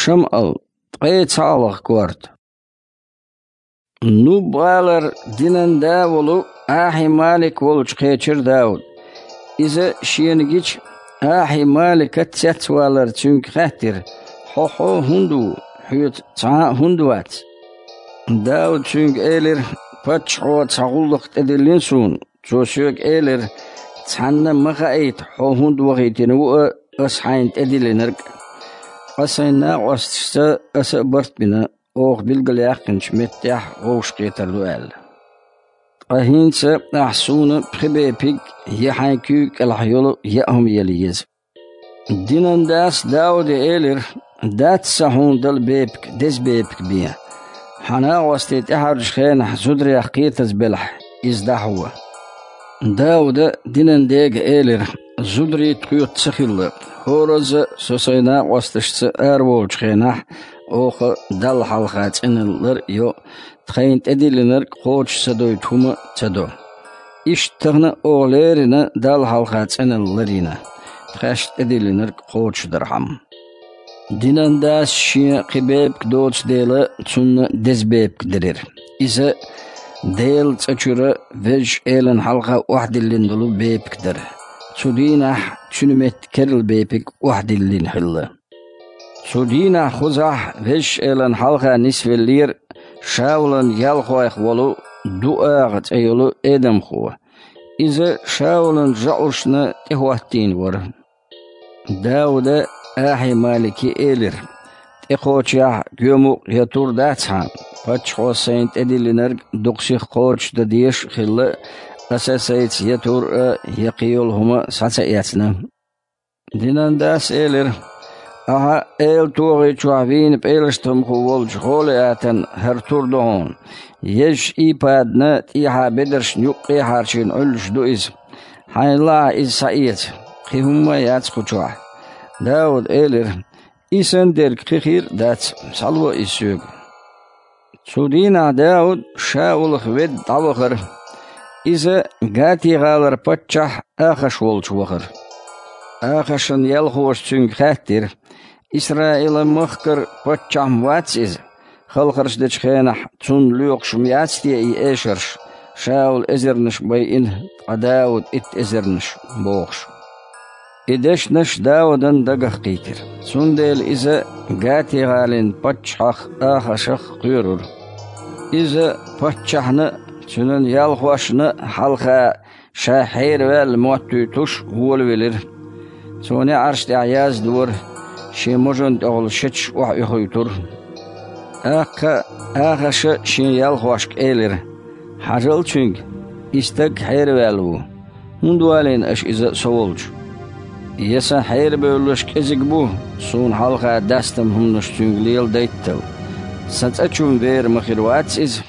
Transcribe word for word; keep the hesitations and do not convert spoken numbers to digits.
ШамӀал, ткъе цхьаалгӀа корта. Нуб-гӀалара динан да волу Ахьи-Малик волчу кхечира Дауд. Иза шена гича, Ахьи-Малика цецвалар цуьнга хаьттира: «Хьо хьо хӀунда ву? Хьоьца цхьа а хӀунда вац?» Дауд цуьнга элира: «Паччахьо цхьа гӀуллакх тӀедиллина суна. Цо соьга элира: „Цхьанна ма хаийта, хьо хӀунда вахийтина ву а, аса хьайна тӀедиллинарг а“. Ткъа сайн накъосташца аса а барт бина, оха билгалъяьккхинчу меттехь вовшахкхетар ду аьлла. Ткъа хӀинца ахь суна пхи бепиг я хьайн куьйга кӀелахь йолу яа хӀума яла еза». Динан дас Дауде элира: «Дац сан хьуна дала бепиг, деза бепиг бен. Хьан накъостий тӀаьхьарчу хенахь зударех кхетаза белахь, иза дӀахьо». Дауда динан дега элира: «Зударий тхоьца ца хилла, хӀоразза а со сайн накъосташца араволучу хенахь оха Далла хьалха цӀеналла лар а йо, тхайна тӀедиллинарг кхочуш ца дойту хӀума а ца до. Иштта тахана оха леррина Далла хьалха цӀеналла ларйина, тхаьш тӀедиллинарг кхочушдархьама». Динан дас шен кхин бепиг доцу дела, цунна деза бепиг делира. Иза Делан цӀа чуьра Везачу Элана хьалха охьадиллина долу бепиг дара. Цу дийнахь цуьнан метта керла бепиг охьадиллина хилла. Цу дийнахь кхузахь Везачу Элана хьалха нисвеллера Шаулан ялхойх волу Дуагъа цӀе йолу эдамхо. Иза Шаулан жаӀушна тӀехӀоттийна вара. Дауда Ахьи-Малике элира: «ТӀекхочехь гоьмукъ я тур дац хьан? Паччахьо сайна тӀедиллинарг дукха сиха кхочушдан дезаш а хилла, аса сайца я тур а, я кхин йолу хӀума схьа ца эцна». Динан дас элира: «Ахьа Эла тогӀи чохь вийна пӀелаштамхо волчу Голиатан хӀара тур ду хьуна. Езачу ийпадана тӀехьа бедаршна юккъе а хьарчийна Ӏуьллуш ду иза. Хьайна лаахь иза схьаэца, кхин хӀумма а яц кху чохь». Дауда элира: «И санна дерг кхин хир а дац, схьало иза соьга». Цу дийнахь Дауд Шаулах ведда дӀавахара. Иза Гати-гӀалара паччахь Ахаш волчу вахара. Ахашан ялхоша цуьнга хаьттира: «Исраил-махкара паччахь-м вац иза? Халхарш дечу хенахь цунна лоькхуш-м яц те и эшарш, Шаул эзарнаш байина, ткъа Дауд итт эзарнаш?» – бохуш. И дешнаш Даудан дагах кхийтира. Цундела иза Гати-гӀалин паччахьах Ахашах кхоьрура. Иза паччахьна а, цуьнан ялхошна а хьалха ша хьераваьлла моттуьйтуш волавелира. Цо неӀарш тӀехь яздора, шен можан тӀехула шеташ охьаоьхуьйтура. ТӀаккха Ахаша шен ялхошка элира: «Хьажал цуьнга, и стаг хьераваьлла ву. ХӀунда валийна аша иза со волчу? Я сан хьерабевллаш кӀезиг бу, суна хьалха дастам хӀуманаш цуьнга леладайттал? Сан цӀа чу-м вер ма хир вац иза,